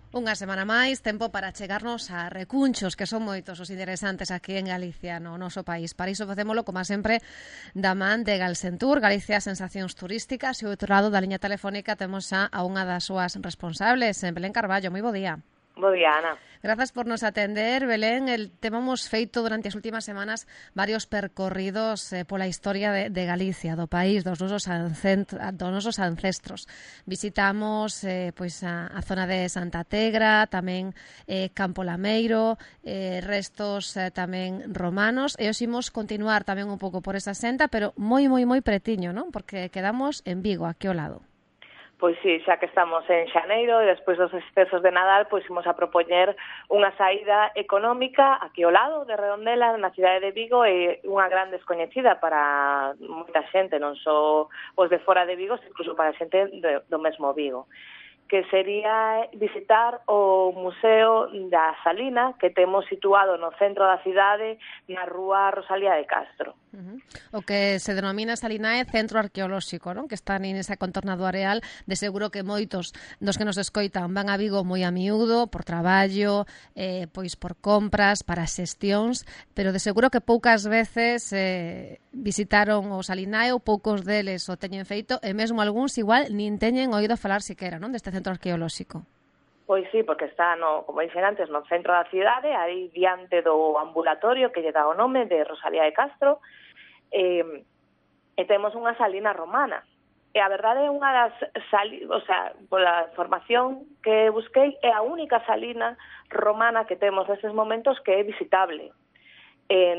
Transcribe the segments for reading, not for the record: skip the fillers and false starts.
Unha semana máis, tempo para chegarnos a recunchos, que son moitos os interesantes aquí en Galicia, no noso país. Para iso facémolo, como sempre, da man de Galsentur, Galicia Sensacións Turísticas, e o outro lado da liña telefónica temos a unha das súas responsables, Belén Carballo. Moi bo día. Bo día, Ana. Grazas por nos atender, Belén. Temos feito durante as últimas semanas varios percorridos pola historia de Galicia, do país, dos nosos ancestros. Visitamos pois a zona de Santa Tegra, tamén Campo Lameiro, restos tamén romanos, e os imos continuar tamén un pouco por esa senda, pero moi pretiño, non? Porque quedamos en Vigo, aquí ao lado. Pois sí, xa que estamos en xaneiro e despois dos festejos de Nadal, pois imos a propoñer unha saída económica aquí ao lado de Redondela, na cidade de Vigo, e unha gran descoñecida para moita xente, non só os de fora de Vigo, incluso para a xente do mesmo Vigo, que sería visitar o Museo da Salina, que temos situado no centro da cidade, na rúa Rosalía de Castro. O que se denomina Salinae Centro Arqueolóxico, non? Que está nesa contorna do areal. De seguro que moitos dos que nos escoitan van a Vigo moi a miúdo, por traballo, pois por compras, para xestións, pero de seguro que poucas veces visitaron o Salinae, ou poucos deles o teñen feito, e mesmo algúns igual nin teñen oído falar siquera, non, deste centro arqueolóxico. Pois sí, porque está, como dixen antes, no centro da cidade, aí diante do ambulatorio que lle dá o nome de Rosalía de Castro, e temos unha salina romana. E a verdade é unha das pola información que busquei, é a única salina romana que temos nestes momentos que é visitable. Din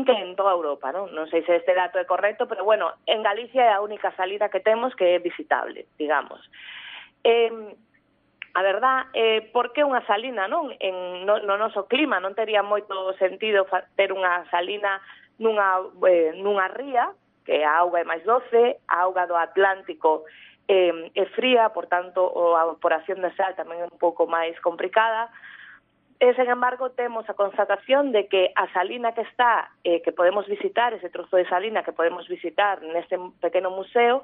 que en toda Europa, non sei se este dato é correcto, pero bueno, en Galicia é a única salina que temos que é visitable, digamos. A verdad, por que unha salina, non? No noso clima non tería moito sentido ter unha salina nunha ría, que a auga é máis doce, a auga do Atlántico é fría, por tanto, a evaporación de sal tamén é un pouco máis complicada. Sen embargo, temos a constatación de que a salina que está, que podemos visitar, ese trozo de salina que podemos visitar neste pequeno museo,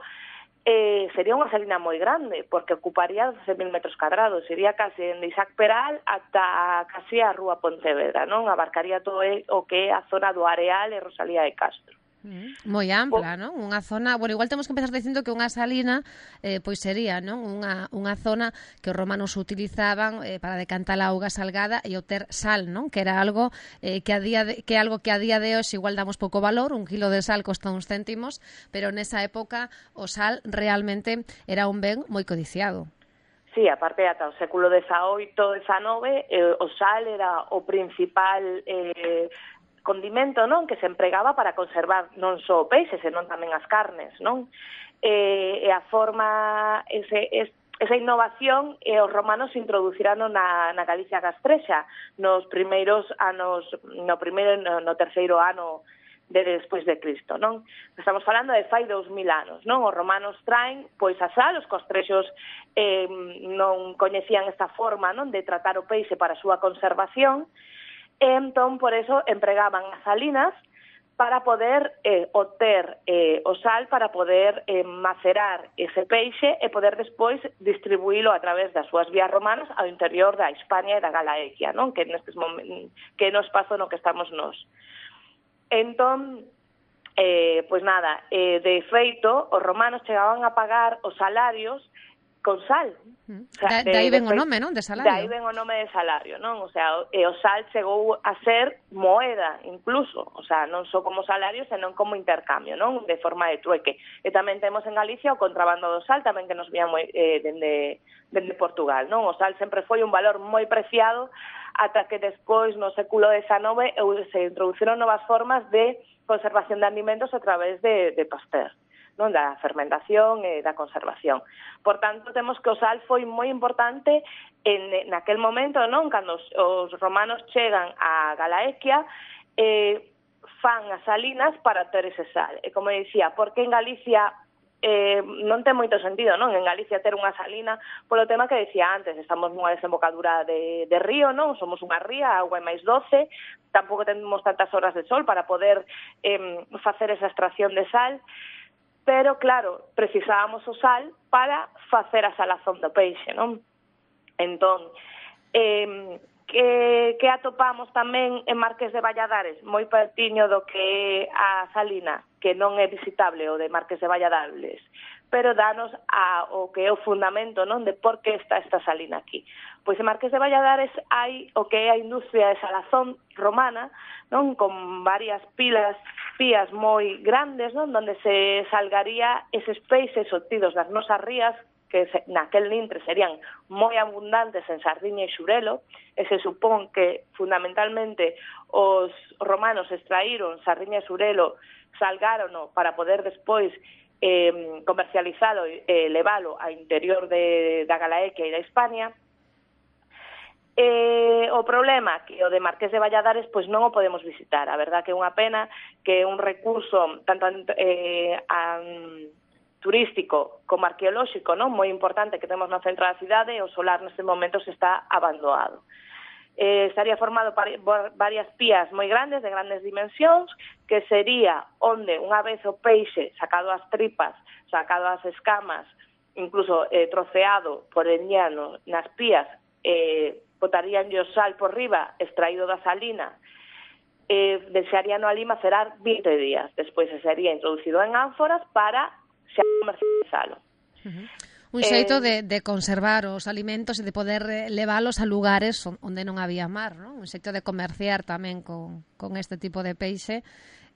sería unha salina moi grande, porque ocuparía 12.000 metros cadrados, sería case de Isaac Peral ata casi a Rúa Pontevedra, non? Abarcaría todo o que é a zona do Areal e Rosalía de Castro. Moi ampla, non? Unha zona, bueno, igual temos que empezar dicindo que unha salina pois sería, non, unha zona que os romanos utilizaban para decantar a auga salgada e obter sal, non? Que era algo que a día de hoxe igual damos pouco valor, un kilo de sal costa uns céntimos, pero nesa época o sal realmente era un ben moi codiciado. Sí, aparte ata o século XVIII, XIX, o sal era o principal condimento, non, que se empregaba para conservar non só o peixe, senón tamén as carnes, non? E a forma, esa innovación, os romanos introducirano na Galicia castrexa nos primeiros anos, no terceiro ano despois de Cristo, non? Estamos falando de fai 2000 anos, non? Os romanos traen, pois, a sal, os castrexos non coñecían esta forma, non, de tratar o peixe para a súa conservación. Entón, por eso, empregaban as salinas para poder obter o sal, para poder macerar ese peixe e poder despois distribuílo a través das súas vías romanas ao interior da Hispania e da Galaequia, non? Que nestes momentos, que no espazo no que estamos nós. Entón, pois nada, de feito, os romanos chegaban a pagar os salarios con sal. O sea, de aí ven o nome, non? De salario. De aí ven o nome de salario, non? O sea, o sal chegou a ser moeda, incluso. O sea, non só como salario, senón como intercambio, non? De forma de trueque. E tamén temos en Galicia o contrabando do sal, tamén que nos vía dende Portugal, non? O sal sempre foi un valor moi preciado, ata que despois, no século XIX, se introduciron novas formas de conservación de alimentos a través de Pasteur, non, da fermentación e da conservación. Por tanto, temos que o sal foi moi importante naquel momento, non, cando os romanos chegan a Galaequia, fan as salinas para ter ese sal. E como dicía, porque en Galicia non ten moito sentido, non? En Galicia ter unha salina, polo tema que decía antes, estamos nunha desembocadura de río, non? Somos unha ría, a auga é máis doce, tampouco temos tantas horas de sol para poder facer esa extracción de sal, pero claro, precisábamos o sal para facer a salazón do peixe, non? Entón, que atopamos tamén en Marqués de Valladares, moi pertiño do que é a salina, que non é visitable o de Marqués de Valladares, pero danos o que é o fundamento, non, de por que está esta salina aquí. Pois en Marqués de Valladares hai o que é a industria de salazón romana, non, con varias pías moi grandes, non, onde se salgaría eses peixes obtidos das nosas rías, que naquel lintre serían moi abundantes en sardiña e xurelo, e se supón que fundamentalmente os romanos extraíron sardiña e xurelo, salgárono para poder despois comercializalo e leválo ao interior da Galaequia e da Hispania. O problema que o de Marqués de Valladares pois non o podemos visitar. A verdad que é unha pena, que é un recurso tanto turístico como arqueolóxico, non, moi importante que temos no centro da cidade, e o solar neste momento se está abandonado. Estaría formado por varias pías moi grandes, de grandes dimensións, que sería onde unha vez o peixe sacado as tripas, sacado as escamas, incluso troceado por el llano nas pías, botarían o sal por riba, extraído da salina, deixarían ali macerar 20 días. Despois se sería introducido en ánforas para xa comercializalo. Un xeito de conservar os alimentos e de poder leválos a lugares onde non había mar, non? Un xeito de comerciar tamén con este tipo de peixe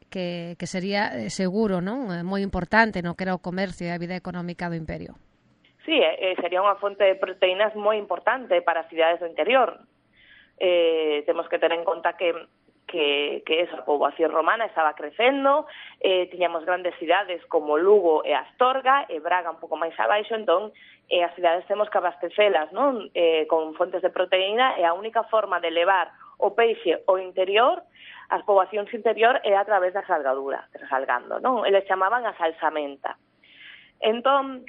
que sería seguro, non? Moi importante no que era o comercio e a vida económica do imperio. Sí, sería unha fonte de proteínas moi importante para as cidades do interior. Temos que ter en conta que esa poboación romana estaba crecendo, tiñamos grandes cidades como Lugo e Astorga, e Braga un pouco máis abaixo, entón as cidades temos que abastecelas, non, con fontes de proteína, e a única forma de levar o peixe ao interior, as poboacións interior, é a través da salgadura, salgando, non? Eles chamaban a salsamenta. Entón,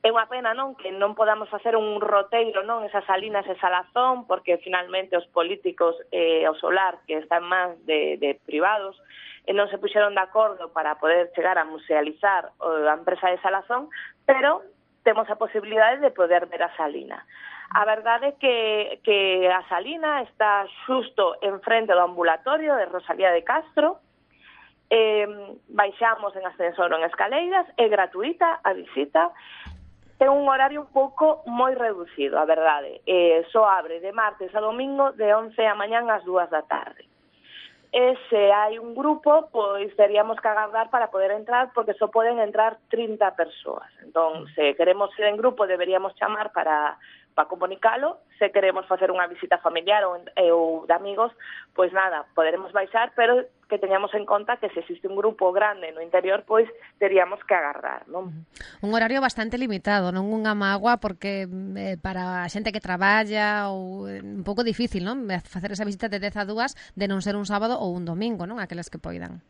é unha pena, non, que non podamos facer un roteiro, non, esas salinas e salazón, porque finalmente os políticos e o solar, que están máis de privados, non se puxeron de acordo para poder chegar a musealizar a empresa de salazón, pero temos a posibilidade de poder ver a salina. A verdade é que a salina está xusto en frente do ambulatorio de Rosalía de Castro, baixamos en ascensor ou en escaleiras, é gratuita a visita. Ten un horario un pouco moi reducido, a verdade. Só abre de martes a domingo de 11 a mañán ás 2 da tarde. E se hai un grupo, pois teríamos que agardar para poder entrar, porque só poden entrar 30 persoas. Entón, se queremos ir en grupo, deberíamos chamar para comunicalo. Se queremos facer unha visita familiar ou de amigos, pois nada, poderemos baixar, pero que teñamos en conta que se existe un grupo grande no interior, pois teríamos que agardar, non? Un horario bastante limitado, non unha mágoa, porque para a xente que traballa ou un pouco difícil, non? Facer esa visita de 10 a 2 de non ser un sábado ou un domingo, non? Aqueles que poidan.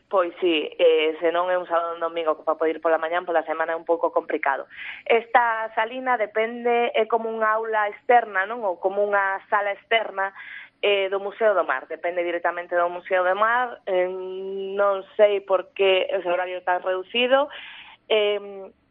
Pois sí, se non é un sábado ou un domingo para poder ir pola mañán, pola semana é un pouco complicado. Esta salina depende, é como unha aula externa, non? Ou como unha sala externa do Museo do Mar, depende directamente do Museo do Mar, non sei por que ese horario tan reducido,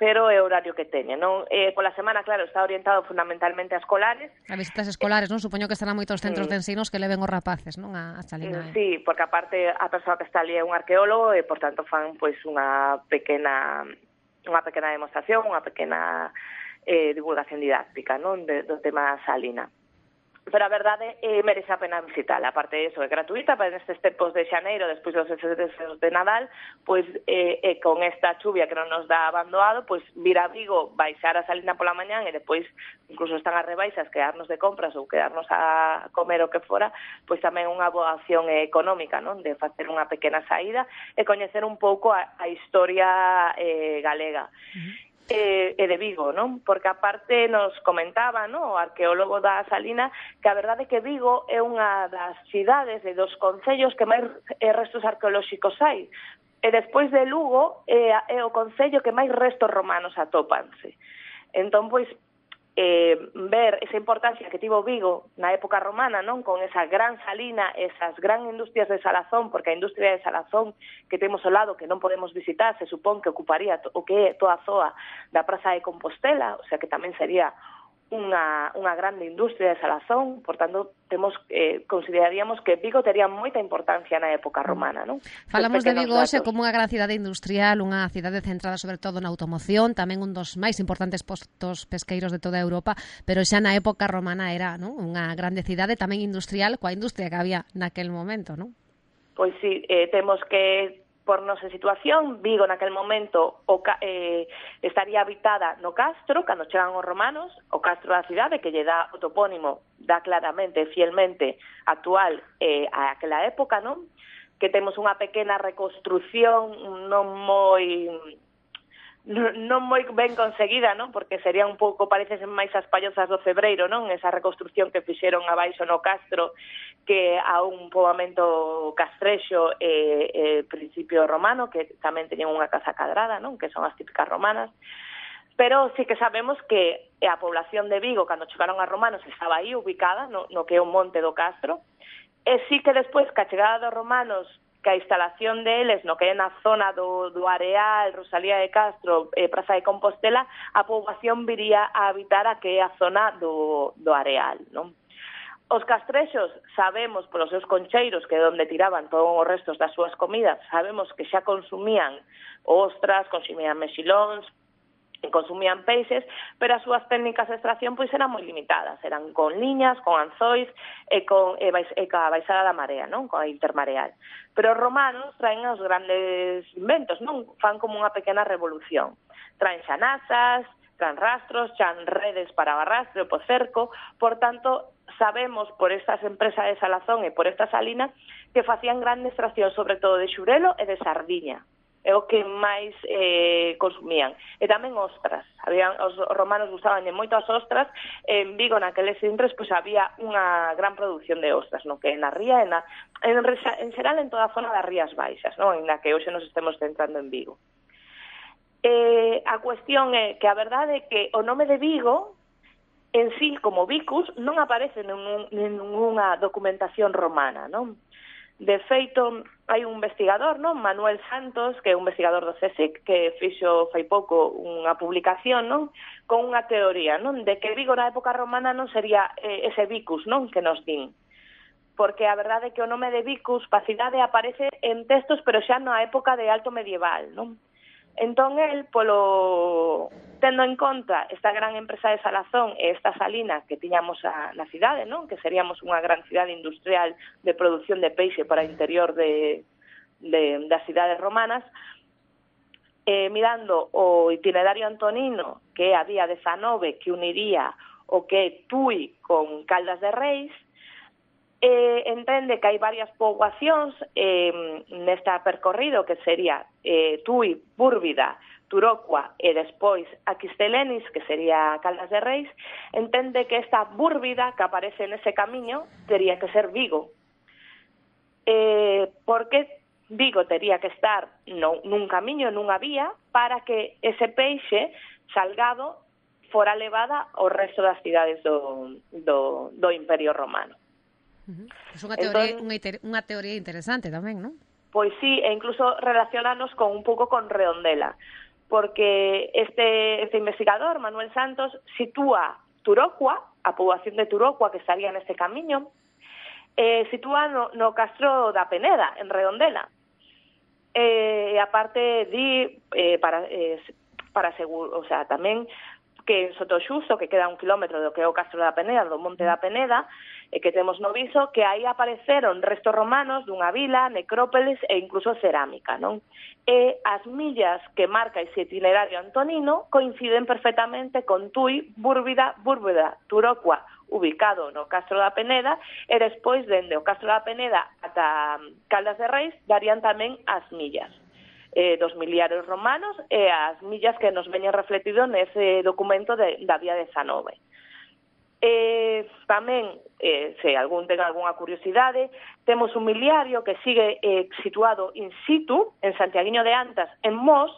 pero é o horario que teñe, non? Pola semana, claro, está orientado fundamentalmente a escolares. A visitas escolares, non? Supoño que estarán moitos centros de ensinos que leven os rapaces, non? A salina. Sí, porque aparte a persoa que está ali é un arqueólogo e, por tanto, fan pois unha pequena demostración, unha pequena divulgación didáctica, non? Do tema salina. Pero a verdade merece a pena visitarla. Aparte de eso, é gratuita para nestes tempos de xaneiro, despois dos festejos de Nadal, pois con esta chuvia que non nos dá abandoado, pois vir a Vigo, baixar a salina pola mañán e depois incluso están as rebaixas, quedarnos de compras ou quedarnos a comer o que fora, pois tamén unha boa opción económica, non? De facer unha pequena saída e coñecer un pouco a historia galega. E de Vigo, non? Porque aparte nos comentaba, non, o arqueólogo da Salina, que a verdade é que Vigo é unha das cidades e dos concellos que máis restos arqueolóxicos hai. E despois de Lugo é o concello que máis restos romanos atópanse. Entón, pois, ver esa importancia que tivo Vigo na época romana, non, con esa gran salina, esas gran industrias de salazón, porque a industria de salazón que temos ao lado, que non podemos visitar, se supón que ocuparía o que é toda a zoa da Praza de Compostela, o sea que tamén sería unha grande industria de salazón, por tanto, consideraríamos que Vigo tería moita importancia na época romana, non? Falamos de Vigo hoxe como unha gran cidade industrial, unha cidade centrada sobre todo na automoción, tamén un dos máis importantes postos pesqueiros de toda Europa, pero xa na época romana era, non, unha grande cidade tamén industrial, coa industria que había naquel momento, non? Pois sí, temos que por nosa situación, Vigo naquel momento estaría habitada no castro, cando chegan os romanos, o castro da cidade, que lle dá o topónimo, dá claramente, fielmente, actual a aquela época, non? Que temos unha pequena reconstrucción non moi ben conseguida, non? Porque sería un pouco, parecesen máis as pallozas do Cebreiro, non? Esa reconstrucción que fixeron abaixo no castro, que a un poboamento castrexo principio romano, que tamén teñen unha casa cadrada, non? Que son as típicas romanas. Pero sí que sabemos que a población de Vigo, cando chegaron a romanos, estaba aí ubicada no que é o monte do castro, e sí que despois, que a chegada dos romanos, que a instalación deles no que é na zona do Areal, Rosalía de Castro, Praza de Compostela, a poboación viría a habitar a que é a zona do Areal, non? Os castrexos sabemos polos seus concheiros, que é onde tiraban todos os restos das súas comidas, sabemos que xa consumían ostras, consumían mexilóns, consumían peixes, pero as súas técnicas de extracción pois eran moi limitadas, eran con liñas, con anzois e coa baixada da marea, non? Coa intermareal. Pero os romanos traen os grandes inventos, non? Fan como unha pequena revolución. Traen xanazas, traen rastros, traen redes para o arrastre, o cerco, por tanto, sabemos por estas empresas de salazón e por esta salina que facían grande extracción, sobre todo de xurelo e de sardiña. É o que máis consumían. E tamén ostras. Os romanos gustaban moito as ostras. En Vigo, naqueles intres, pois había unha gran produción de ostras, no que na ría, en xeral en toda a zona das Rías Baixas, non? En na que hoxe nos estemos centrando en Vigo. A cuestión é que a verdade é que o nome de Vigo, en sí, como Vicus, non aparece en ninguna documentación romana, non? De feito, hai un investigador, non? Manuel Santos, que é un investigador do CSIC, que fixo fai pouco unha publicación, non? Con unha teoría, non? De que Vigo na época romana non sería ese Vicus, non? Que nos din. Porque a verdade é que o nome de Vicus, pa cidade, aparece en textos, pero xa na época de alto medieval, non? Entón, el, tendo en conta esta gran empresa de salazón e esta salina que tiñamos na cidade, non? Que seríamos unha gran cidade industrial de produción de peixe para o interior das cidades romanas, mirando o itinerario antonino, que é a día 19, que uniría o que é Tui con Caldas de Reis, entende que hai varias poboacións neste percorrido, que sería Tui, Búrvida, Turocua e despois Aquistelenis, que sería Caldas de Reis. Entende que esta Búrvida que aparece nese camiño tería que ser Vigo. Porque Vigo tería que estar nun camiño, nunha vía, para que ese peixe salgado fora levada ao resto das cidades do Imperio Romano. É unha teoría interesante tamén, non? Pois sí, e incluso relacionanos con un pouco con Redondela, porque este investigador, Manuel Santos, sitúa Turocua, a poboación de Turocua que estaría neste camiño, sitúa no castro da Peneda, en Redondela. E aparte para seguro, o sea, tamén que en Sotoxusto, que queda 1 kilómetro do que é o castro da Peneda, do monte da Peneda, que temos no Viso, que aí apareceron restos romanos dunha vila, necrópolis e incluso cerámica, non? E as millas que marca ese itinerario antonino coinciden perfectamente con Tui, Búrvida, Turocua, ubicado no Castro da Peneda, e despois, dende o Castro da Peneda ata Caldas de Reis, darían tamén as millas dos miliarios romanos e as millas que nos veñen refletido nese documento da Vía 19. Tamén, se algún ten algunha curiosidade, temos un miliario que sigue situado in situ, en Santiaguiño de Antas, en Mos,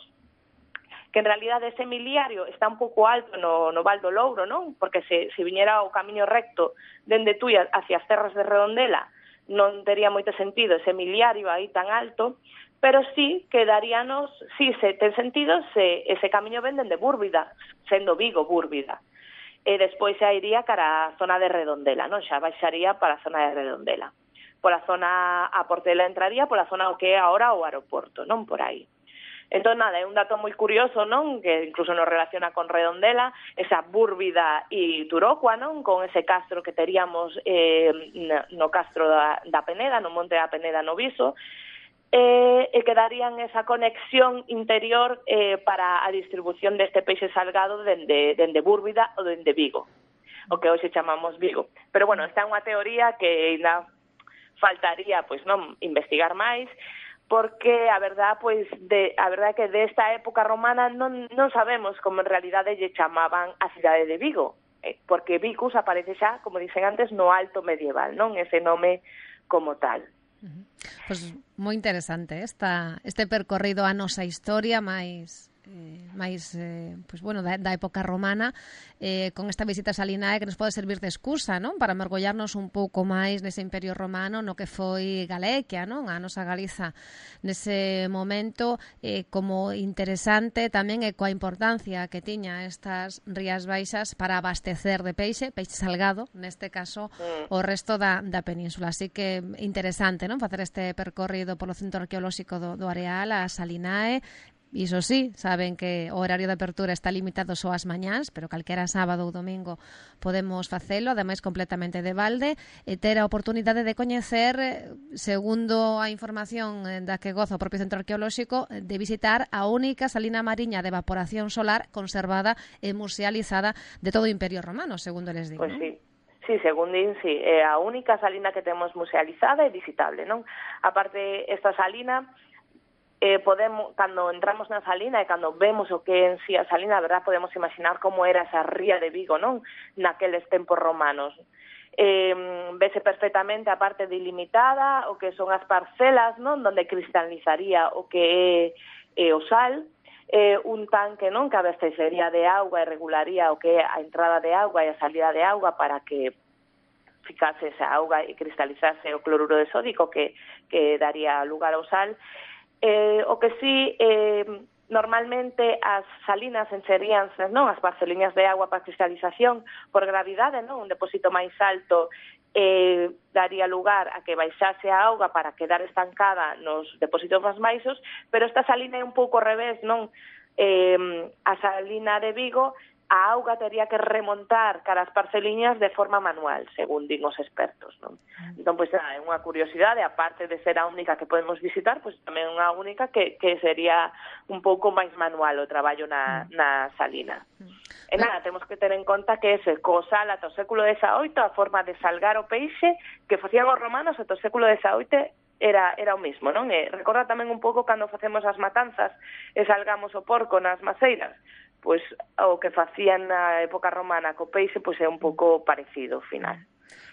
que en realidad ese miliario está un pouco alto no Val do Louro, non? Porque se viñera o camiño recto dende Tui hacia as terras de Redondela, non tería moito sentido ese miliario aí tan alto, pero sí que daríanos, sí, ten sentido se ese camiño ven dende Búrvida, sendo Vigo Búrvida. e despois xa iría cara a zona de Redondela, non? Xa baixaría para a zona de Redondela. Pola zona, a Portela entraría pola zona o que é agora o aeroporto, non? Por aí. Entón, nada, é un dato moi curioso, non? Que incluso nos relaciona con Redondela, esa Búrvida e Turocua, non? Con ese castro que teríamos no castro da Peneda, no monte da Peneda no Viso, e que darían esa conexión interior para a distribución deste peixe salgado dende Búrvida ou dende Vigo, o que hoxe chamamos Vigo. Pero, bueno, esta é unha teoría que ainda faltaría, pois, non, investigar máis, porque a verdad é que desta época romana non sabemos como en realidade lle chamaban a cidade de Vigo, porque Vicus aparece xa, como dicen antes, no alto medieval, non? Ese nome como tal. Pois moi interesante este percorrido a nosa historia máis pois bueno, da época romana, con esta visita a Salinae que nos pode servir de excusa, non? Para mergullarnos un pouco máis nese imperio romano, no que foi Galequia, non? A nosa Galiza nese momento, como interesante tamén coa importancia que tiña estas Rías Baixas para abastecer de peixe salgado, neste caso o resto da península. Así que interesante, non? Facer este percorrido polo Centro Arqueolóxico do Areal a Salinae. Iso sí, saben que o horario de apertura está limitado só ás mañás, pero calquera sábado ou domingo podemos facelo, ademais completamente de balde, e ter a oportunidade de coñecer, segundo a información da que goza o propio Centro Arqueolóxico, de visitar a única salina mariña de evaporación solar conservada e musealizada de todo o Imperio Romano, segundo les digo. Pois sí. Sí, según din, sí, é a única salina que temos musealizada e visitable, non? Aparte, esta salina podemos, cando entramos na salina e cando vemos o que é en si a salina, a verdad, podemos imaginar como era esa ría de Vigo, non? Naqueles tempos romanos. Vese perfectamente a parte delimitada, o que son as parcelas, non? Donde cristalizaría o que é o sal, un tanque, non? Que abastecería de auga e regularía o que é a entrada de auga e a salida de auga para que ficase esa auga e cristalizase o cloruro de sódico que daría lugar ao sal. O que sí, normalmente as salinas encheríanse, non? As parceliñas de agua para cristalización por gravidade, non? Un depósito máis alto daría lugar a que baixase a auga para quedar estancada nos depósitos máis baixos, pero esta salina é un pouco ao revés, non? A salina de Vigo, a auga tería que remontar cara as parceliñas de forma manual, según din os expertos, non? Entón, pois, é unha curiosidade, aparte de ser a única que podemos visitar, pois tamén unha única que sería un pouco máis manual o traballo na salina. E nada, temos que ter en conta que ese co-sal ata o século XVIII, a forma de salgar o peixe que facían os romanos ata o século XVIII era o mismo, non? E recorda tamén un pouco cando facemos as matanzas e salgamos o porco nas maceiras, pois o que facían na época romana co peixe pois é un pouco parecido ao final.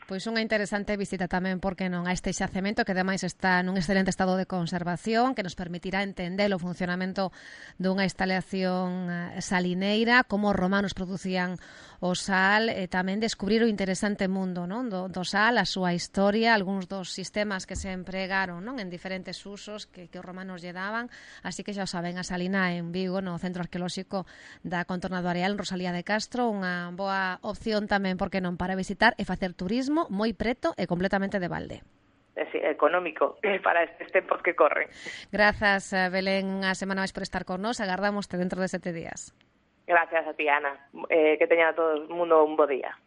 Pois unha interesante visita tamén, porque non, a este xacemento que ademais está nun excelente estado de conservación, que nos permitirá entender o funcionamento dunha instalación salineira, como os romanos producían o sal, e tamén descubrir o interesante mundo, non? Do sal, a súa historia, algúns dos sistemas que se empregaron, non? En diferentes usos que os romanos lle daban. Así que xa o saben, a salina en Vigo, no Centro Arqueolóxico da Contorna do Areal, en Rosalía de Castro, unha boa opción tamén, porque non, para visitar e facer turismo moi preto e completamente de balde. Sí, económico para estes tempos que corren. Grazas, Belén, unha semana máis por estar con nós. Agardámoste dentro de 7 días. Gracias a ti, Ana. Que teña todo o mundo un bo día.